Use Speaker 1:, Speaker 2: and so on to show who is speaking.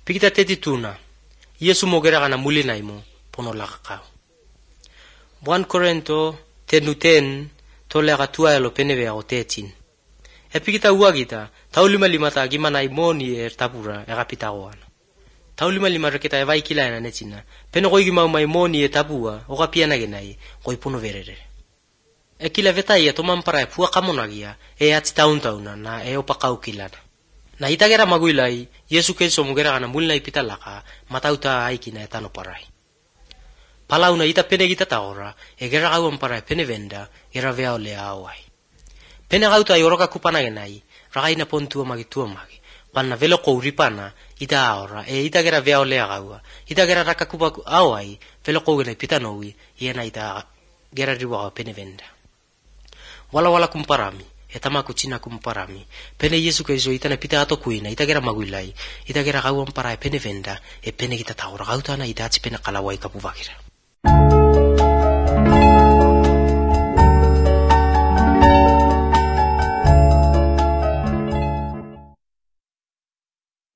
Speaker 1: Pikita tetituna, Yesu mogera kana mulina imo pono lakakau. 1 Korinto 10:10 tolega tuaelo penevea o 13. Pikita uagita, taulima ta gimana imoni tapura egapita goana. Taulima reketa evai kilaena netina, peno goi gimau mai moni tapua, ogapiana genai, goi pono verere. Kila vetai tomampara pua kamonagia, ati tauntauna na opakau kilana. Na itagera maguilai, Yesu Kristo mugera kana mulina ipitalaka, matauta aikina etano parai. Palauna ita pene gita taora, gera gauan parai pene venda, gera vea lea awai. Pene gauta ioroka kupana genai, ragaina pontua magi, panna velo kouripana, ita aora, ita gera vea lea gaua, ita gera raka kupa awai, velo kougena ipitanoui, iena ita gera riwa pene venda. Wala kumparami, etamaku cina kumparami, pene Yesu Kristo itana pita ato kuina, ita gera maguilai, ita gera gauan parai pene venda, pene kita taora gautana ita atsi pene kalawai kapuvakira.